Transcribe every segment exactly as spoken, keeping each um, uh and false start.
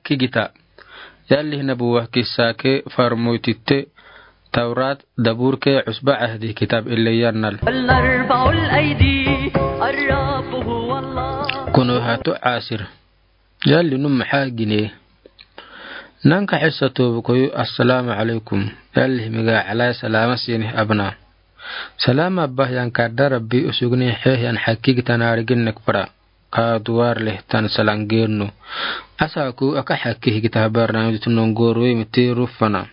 kigita. Yalli nabuwa kissa ke farmoy titte, Tawrat, Dabur ke Usba Ahdi kitab ille yannal. Kono hatu asir. Yalli num ha gine. Nanka hissa tobu koyu, assalamu alaikum. Yalli miga alai salama sini abna. Salama abba yan kadda Rabbi usugni he yan hakki gitana rigin nekpara. Ka duwar leh tan salangennu. Asaku aka hakki higita barnamij tunongorwe miti rufana.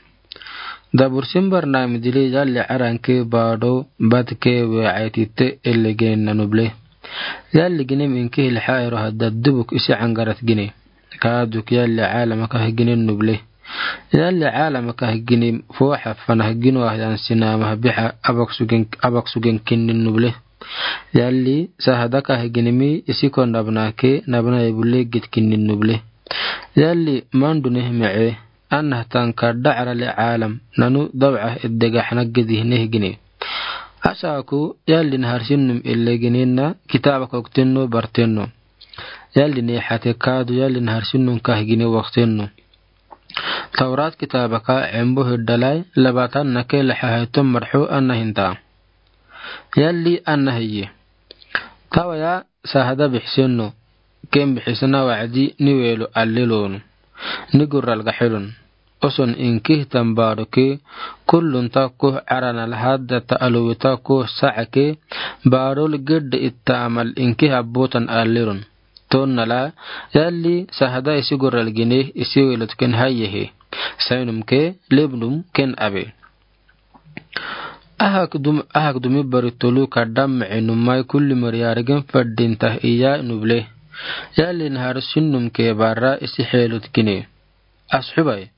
Dabur sin barnamij dili yalli aranke bado badke we aitite ille ginen nanuble. Yalli ginem inke hil hairo hadda dubuk isi angarat gine. Ka duk yalli alama ka ginen nuble. Yalli alama ka ginem fo hafana gino ahyan sinama biha abak sugen, abak sugen kinin nuble. Yalli sahada ka ginimi isi kon nabna ke nabna ibule git kinin nuble. Yalli mandu neh me'e, anna tanka da'ara li alam, nanu dab'a iddega hana gidi neh gine. Asaku yalli nahar sinnum ille ginenna kitaba koktenno bartenno. Yalli ne hate kadu yalli nahar sinnum ka gine waktenno. Tawrat kitaba ka embo hiddalai labatan nake laha haiton marhu anna hinta. Yalli anna hiye. Tawaya sahada bihsenno. Ken bihisna wa'adi ni welo allelonu. Ni gurral gahelon. Oson inkih tambaroke kullun takko arana lahadda ta aluwi takko sa'ake barol gedde itta amal inkih abbotan allelon. Tonnala yalli sahada isi gurral gine isi welot ken hayyehe. Sainum ke lebnum ken abe. Ahak dum, ahak dumi bari tolu kadam me'e numai kulli mari yarigin faddin tah iya nuble. Yalli nahar sinnum ke barra isi helot gine. Ashubai.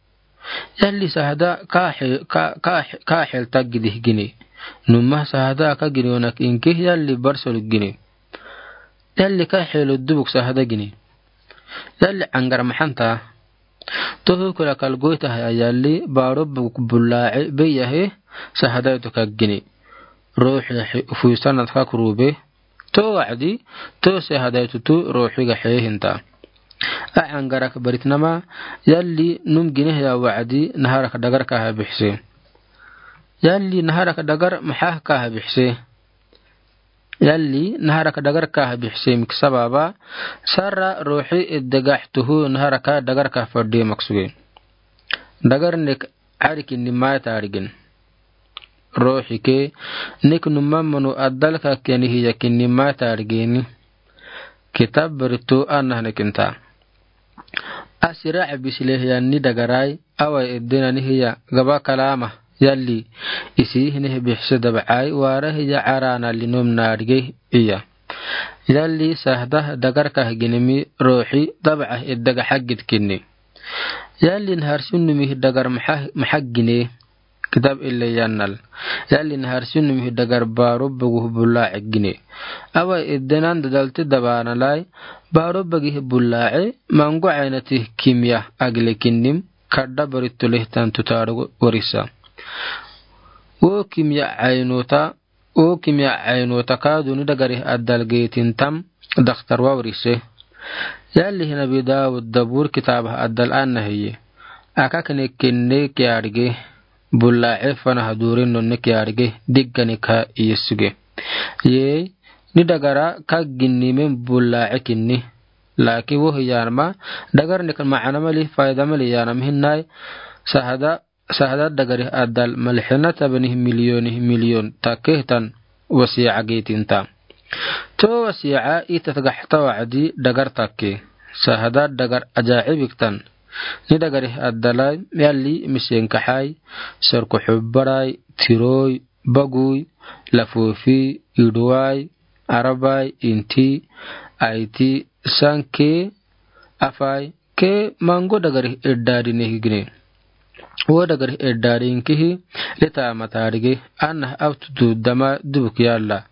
Yalli sahada ka he, ka, ka, ka hel tag gidih gine. Numa sahada ka gine onak inkih yalli barsol gine. Yalli ka helot dubuk sahada gine. Yalli angar mahanta. Toho kula kal goita haya yalli baro buk bula'i beyahe sahada itu ka gine. Rohi he fuisanat ka kurube. To wa'adi, to sahada itu tu rohi ga he hinta. A angarak baritnama yalli num gine haya wa'adi naharak dagar ka ha bihse. Yalli naharak dagar mahah ka ha bihse. Yalli naharaka dagarka ha bixisee mik sababa, sarra ruuxi idegaaxtuhu naharaka dagarka fadhii maksuge. Dagar nek carikin ni maayta arigin. Ruuxi ke nek numamanu adalka keni hiyakin ni maayta arigini. Kitab beritu anah nekinta. Asira abisile hiya ni dagarai, awai edena ni hiya gaba kalama, yalli, isi hine bixise dabcai, wara hiya carana linom narige iya. Yalli sahda dagarka ginimi ruuxi dabca edega xagid kinni. Yalli naharsunumi dagar maxagine. Kitab ile yannal. Yalli naharsunumi dagar baro bogu bulace gine. Awai edenan dadalti dabanalai, baro bogi bulace, mango caynati kimya agile kinnim, kadda baritu lehtan tutaru warisa. Wo kimya caynota, wo kimya caynota kaduni dagari adal geetintam, daktar wa warise. Yalli hinabi Daud dabur kitabah adal anna hiye. Aka kine kinne kiarige. Bulace fanaha durin nonne kiarige diggani ka iyesuge. Yee, ni dagara ka ginnimen bulace kinni. Laakin wohi yanama, dagar nek macana mali, fayda mali yanama hinai, sahada, sahada dagari adal malixina tabani miliyoni miliyon takehtan wasiica geetinta. To wasiica itat gaxta wacdi dagar take. Sahada dagar ajaibiktan. Ni dagari adalai, yalli misenkaxai, sarku xubbarai, tiroi, bagui, lafofi, iduwai, arabai, inti, aiti, sanke, afai, ke mango dagari edadi nehigine. Wo dagari edadi inkihi, leta matarige, anah abtutu dama dubuk yalla.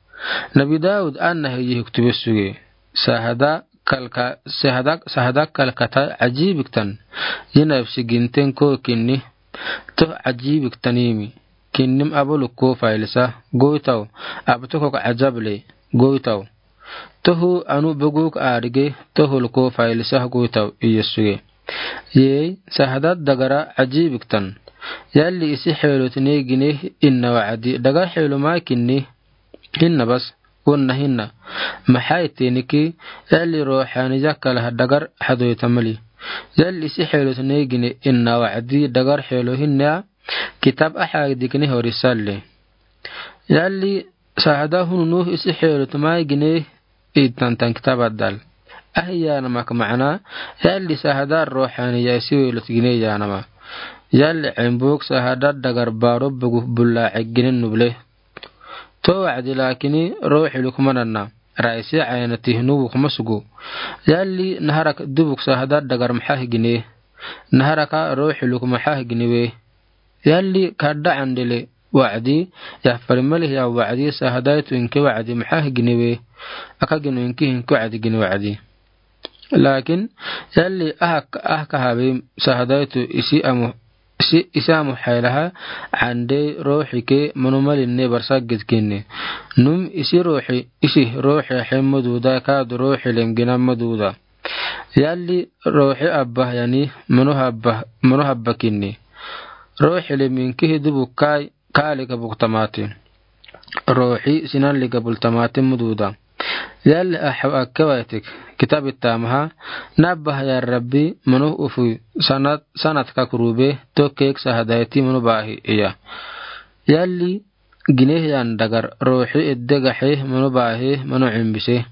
Nabi Daud anah yihi kutube suge. Sahada kalka, sahada, sahada kalkata ajibiktan. Yinabsi ginten ko kinni. Toh ajibiktanimi. Kinnim abuluk ko failisa goitaw. Abtukok ajable goitaw. Tohu anu buguk arige tohul ko failisa goitaw iyesuge. Yei, sahada dagara ajiibik tan. Yalli isi xeelot ne gine inna wacdi, dagar xeelo maa kinni. Hinna bas, wonna hinna. Maxaa ittiniki, yalli ruuxaaniya kala dagar hadoyta mali. Yalli isi xeelot ne gine inna wacdi, dagar xeelo hinna, kitab axaagdi kini hori salle. Yalli sahada hunu nuh isi xeelot maa gine ittan tan kitab addal. Ahiyaana mak macna, yalli sahada ruuxaaniya isi weelot gine yaanama. Yalli cembuk sahada dagar baro bugu bulla ceginen nuble. To wacdi laakini ruuxi lukmananna, raisi caynati nubu kuma sugu. Yalli naharak dubuk sahada dagar maxaa gine. Naharaka ruuxi lukma maxaa gine we. Yalli kadda candele wacdi, yafari malihiya wacdi, sahadaitu inki wacdi maxaa gine we. Aka gino inki hinki wacdi gine wacdi. Laakin, yalli ahak, ahak habe sahadaitu isi amu, isi, isi amu xaylaha, cande ruuxi ke manu malinne barsa gidkinne. Num isi ruuxi, isi ruuxi xe maduda kaadu ruuxi lem gina maduda. Yalli ruuxi abba yani manu habba, manu habba kinni. Ruuxi lem inkihi dubu kai, kaa liga buk tamati. Ruuxi sinan liga bul tamati maduda. Yalli axaw akkewaitik, kitab ittamaha, nabba ya Rabbi, manu ufu sanat, sanat kakrube, to keek sahadaiti manu baahi iya. Yalli gineh yan dagar, ruuxi edde gaxe, manu baahi, manu cumbise.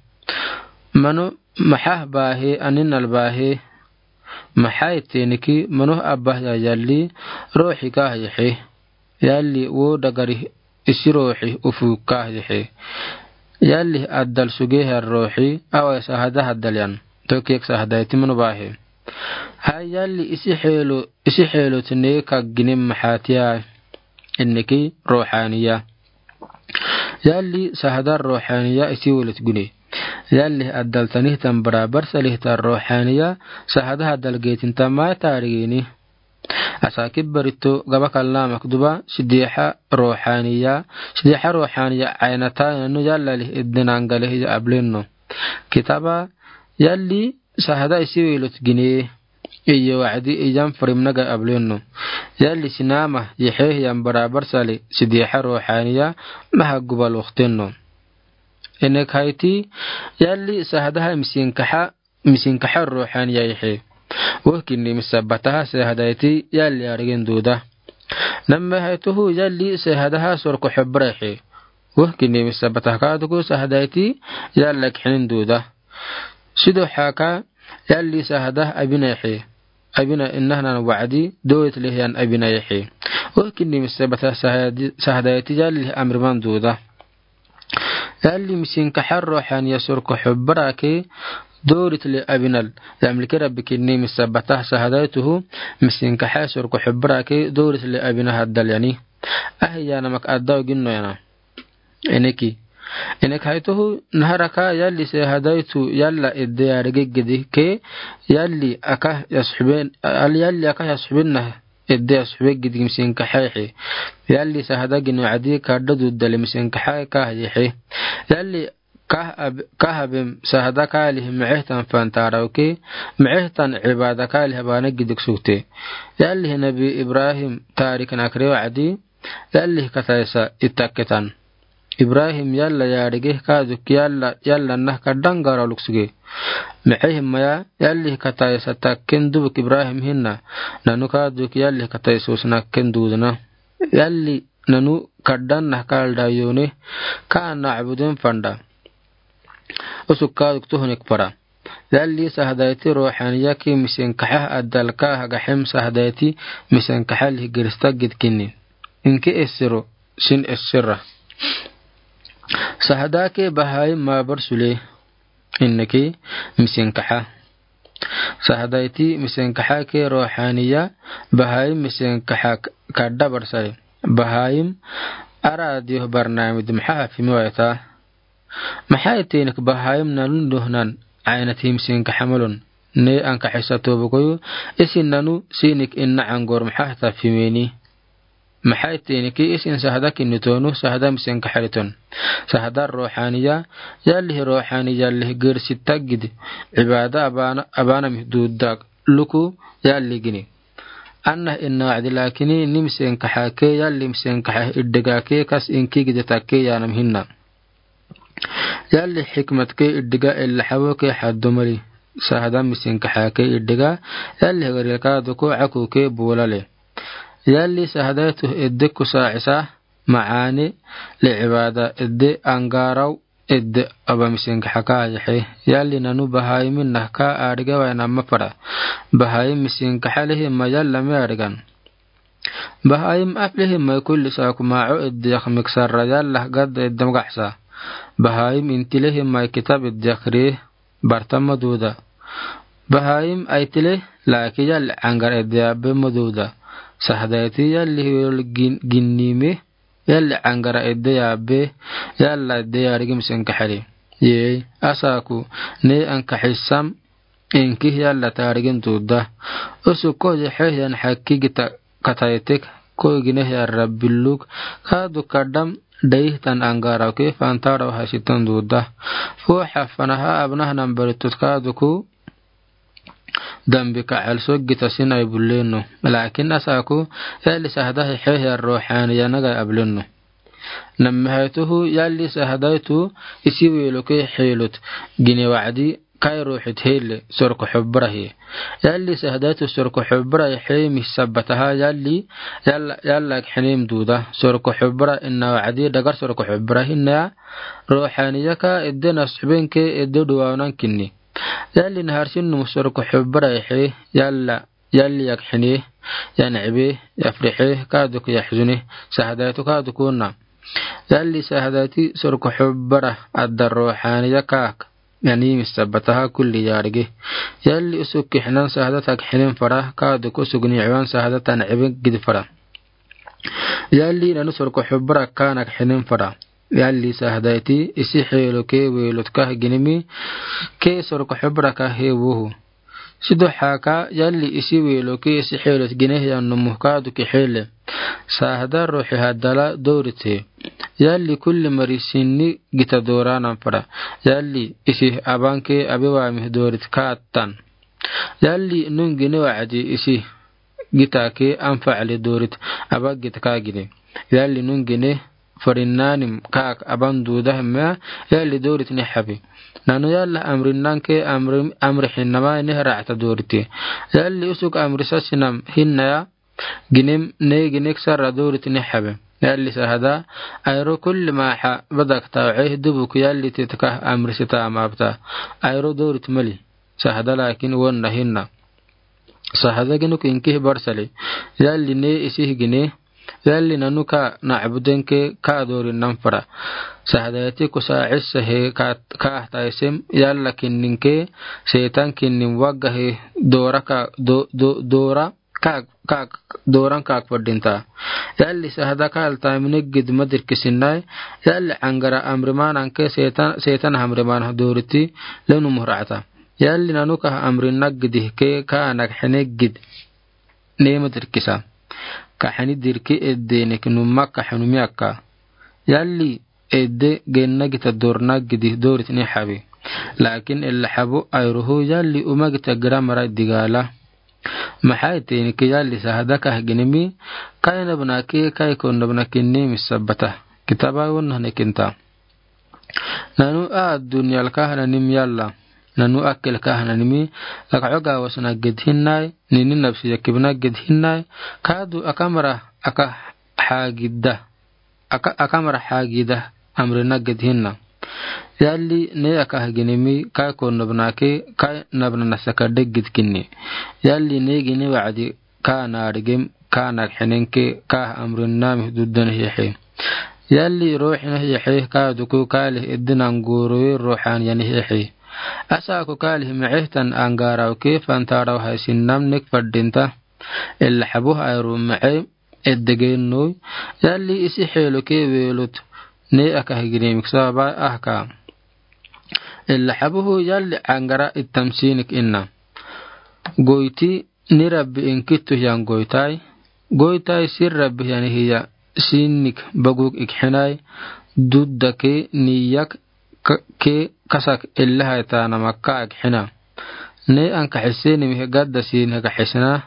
Manu maxaa baahi, aninal baahi, maxaa ittiniki, manu abba ya yalli, ruuxi kaa yexe. Yalli wo dagari isi ruuxi ufu kaa yexe. Yalli addal suge har ruuxi, awai sahada haddal yan. To keek sahadaiti manu baahi. Hay yalli isi xeelo, isi xeelo tine ka gine maxaa tiya. Inniki ruuxaaniya. Yalli sahada ruuxaaniya isi weelot gune. Yalli addal tanihtan barabar salihtan ruuxaaniya, sahada haddal geetinta maa taarigini. Asa kibbarito gaba kalna makduba, sidiixa ruuxaaniya, sidiixa ruuxaaniya caynata nanu yalla lih edden angale hiya ablenno. Kitaba, yalli sahada isi weelot gine. Iyo wacdi iyan firimnaga ablenno. Yalli sinama yexe hiyan barabar sali sidiixa ruuxaaniya maha gubal waktenno. Enek hayti, yalli sahadaha misinkaxa, misinkaxa ruuxaaniya yexe. Wohkinni misabataha sahadaiti yalli arigen duuda. Namme haytuhu yalli sahadaha sorko xobra yexe. Wohkinni misabataha kaaduku sahadaiti yalla kixinin duuda. Sido xaka yalli sahada abina yexe. Abina inahnan wacdi, dowit leh yan abina yexe. Wohkinni misabataha sahadi-, sahadaiti yalli amriman duuda. Yalli misinkaxa ruuxaaniya sorko xobra ke, dowrit leh abinal. Yamlike Rabbi kinni misabataha sahadaituhu, misinkaxa sorko xobra ke, dowrit leh abina haddal yani. Ahi yana mak addaw ginno yana. Eneki. Enek haytuhu naharaka yalli sahadaitu yalla edde ya regegedi ke yalli aka yasxuben, al-, yalli aka yasxubenna edde yasxubegedi misinkaxa yexe. Yalli sahada gino adi kadda duddale misinkaxa kaa yexe. Yalli kah ab-, kah abem sahada kaalih micehtan fan tarawke, micehtan cibada kaalih abana gidik sugte. Yalli nabi Ibrahim tarik nakre wacdi, yalli kataisa itakketan. Ibrahim yalla yaarige kaaduk yalla, yalla nah kaddan gara luksuge. Micehim maya yalli kataisa takken dubuk Ibrahim hinna, nanu kaaduk yalli kataisa usnakken duudna. Yalli nanu kaddan nah kalda yone, kaa nacbudin fanda. Usuk kaaduk tuhunik para. Yalli sahadaiti ruuxaaniya ke misinkaxa addal kaa hagaxim sahadaiti misinkaxa lih gerista gidkinni. Inki esiro, sin esira. Sahada ke bahaim mabar sule. Inniki misinkaxa. Sahadaiti misinkaxa ke ruuxaaniya, bahaim misinkaxa k-, kadda barsai. Bahaim ara adiyoh barnaamij maxa hafimi waita. Maxa itinik bahaim nalun dohnan, aynati misinkaxa malon. Ne ankaxisa tobokoyu, isin nanu sinik inna angor maxa hata fimeni. Maxa itinik isin sahada kinni tonu, sahada misinkaxa liton. Sahada ruuxaaniya, yalli ruuxaaniya lih gersi taggid, cibada abana, abana mih duudak. luku yalli gini. Anahi ina wacdi laakini ni misenkaxake yalli misenkaxe idhiga ke kas inki gide take yaanam hina. Yalli xikmat ke idhiga ila xabo ke xaddo mali. Sahda misenkaxake idhiga yalli hegaril kaaduku caku ke buulale. Yalli sahda tu idhiku saacisa macaani li cibaada idhi angaaraw idhi aba misenkaxaka yexe. Yalli nanu bahayim ina ka adhiga waina mapara. Bahayim misenkaxa lihi ma yalla mi adhigan. Bahayim af lihi ma kulli saaku maaco idhi yak miksara yalla gadda idhi magaxsa. Bahayim inti lihi ma kitab idhi yak ri barta maduda. Bahayim aiti lihi laaki yalli angara idhi yaabe maduda. Sahda iti yalli hiwel gin-, ginni mi yalli angara idhi yaabe yalla idhi yaadhigi misenkaxali. Yee, asaaku, ne ankaxisam, inki yalla taadhigin duda. Usu ko yexe yan xaki gita kataitik, ko gine yan rabbiluk, kaadu kadam, dayihtan angaaraw ke fantaaraw hasitan duda. Fo xafanaha abnaha nambaritut kaaduku, dambi ka calso gita sinai buleno. Lakin asaaku, yalli sahda hexe yan ruxaaniya naga ableno. Nammi haytuhu yalli sahda tu isi weluke xelut gine wacdi kai ruuxit hele sorko xubra he. Yalli sahda tu sorko xubra he mi sabataha yalli yalla, yalla xenem duda. Sorko xubra ina wacdi dhagar sorko xubra hina ya ruxaaniya ka idhi nasxubin ke idhi duwaanan kinni. Yalli naharsin num sorko xubra he yalla yalli yak xene, yan cibe, yafrixe, kaaduku yaxzune, sahda tu kaaduku na. Yalli sahda ti sorko xubra adda ruxaaniya kaak, yani mi sabataha kulli yaadhige. Yalli usuk kixnan sahda tak xenen fara, kaaduku usuk ni ciwan sahda tan cibe gidi fara. Yalli nanu sorko xubra kaanak xenen fara. Yalli sahda ti isi xeluke welut ka gine mi ke sorko xubra ka he wohu. Sidu xaka yalli isi weluke isi xelut gine yan numu kaadu ki xele. Sahda ruuxi hadala doorit he. Yalli kulli mari sinni gita dooranan fara. Yalli isi abanke abe waami doorit kaatan. Yalli nun gine wacdi isi gita ke anfacli doorit aba gita ka gine. Yalli nun gine farinnanim kaak aban duda hemma yalli doorit ni xabi. Nanu yalla amrinnan ke amri, amri xinama ni racta dooriti. Yalli usuk amri sasinam hinna ya ginem ne ginek sara doorit ni xabi. Yalli sahda ayro kulli maxa badak tawce dubuk yalli titka amri sita amabta. Ayro doorit mali. Sahda lakin wonna hinna. Sahda ginuk inkih barsali. Yalli ne isih gine. Yalli nanu ka nacbuden ke ka doorin nan fara. Sahda yati kusa cissa he ka, ka taisem yalla kinnin ke seetan kinnin wagga he doora ka do, do, doora ka, ka, dooran kaak fadinta. Yalli sahda ka altaamine gid madirkisinai. Yalli angara amrimanan ke seetan, seetan hamriman dooriti lenu muhracta. Yalli nanu ka amrin naggidi ke ka anak xene gid. Nema dirkisa. Ka xeni dirki edde nek numma ka xenumi akka. Yalli edde genna gita dor naggidi dorit ni xabi. Lakin ella xabo ayruhu yalli uma gita gira mara digala. Maxay teenike yalli sahda ka ginimi, kai nabna ke kai kon nabna kinni mi sabata. Kitaba wonna ne kinta. Nanu a dunyal kahnanim yalla. Nanu akil kahnanimi, laka oga wasna gid hinnai, nini nabsi yakibna gid hinnai, kadu akamra aka hagida. Aka, akamra hagida, amrina gid hinna. Yalli ne aka haginimi, kai kon nabna ke, kai nabna nasaka degid kinni. Yalli ne gini wacdi, ka naarigim, ka nagxinenke, ka amrinnami duddan hiixi. Yalli ruuxina hiixi, ka duku kaalih iddinan guuruwi ruuxan yani hiixi. Asaku kaalih micihtan angaaraw ke fantaaraw haysinnam nik faddinta. Illa xabuh ayru mici iddigennoy. Yalli isi xeelo ke weelut. Ne aka higirimik sababa ahka. Illa xabuhu yalli angara ittamsiinik inna. Goyti ni Rabbi inkittu hiyan goytai, goytai si Rabbi hiyani hiya sinnik baguk ikxinai, dudda ke niyak ke kasak illahai taanama ka ikxina. Ne ankaxiseni mihe gadda sini hekaxisina.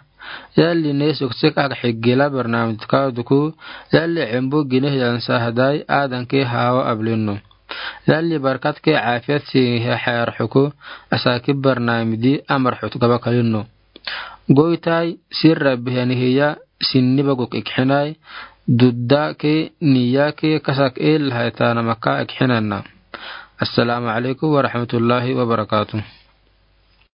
Yalli ne sokse kaka xigila barnaamij kaduku. Yalli xembu gine hiyan sahadai adanke hawa ablinno. Yalli barkatke afiyat sini he xayar xuku. Asaki barnaamij di amar xut gaba kalinno. Goitai sirra bihani hiya sinni baguk ikxinai. Dudda ke niya ke kasak el haitana maka ikxinanna. Assalamu alaikum warahmatullahi wabarakatuh.